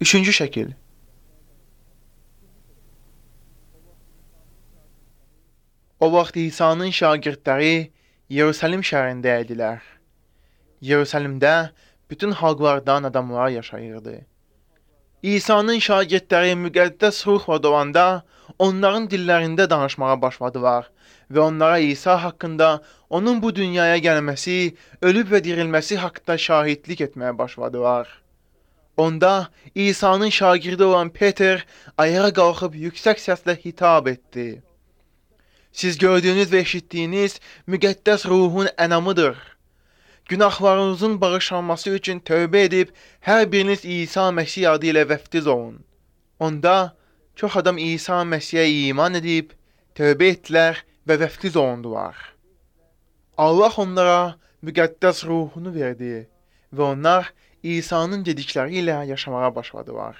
Üçüncü şəkil. O vaxt İsa'nın şagirdləri Yerusəlim şəhərində idilər. Yerusəlimdə bütün xalqlardan adamlar yaşayırdı. İsa'nın şagirdləri müqəddəs ruhla dolanda onların dillərində danışmağa başladılar və onlara İsa haqqında, onun bu dünyaya gəlməsi, ölüb və dirilməsi haqqında şahidlik etməyə başladılar. Onda İsa'nın şagirdi olan Peter ayağa qalxıb yüksək səslə hitab etdi. Siz gördüyünüz və eşitdiyiniz müqəddəs ruhun ənamıdır. Günahlarınızın bağışlanması üçün tövbə edib, hər biriniz İsa Məsih adı ilə vəftiz olun. Onda çox adam İsa Məsihə iman edib, tövbə etdilər və vəftiz olundular. Allah onlara müqəddəs ruhunu verdi və onlar İsa'nın dedikləri ilə yaşamağa başladılar.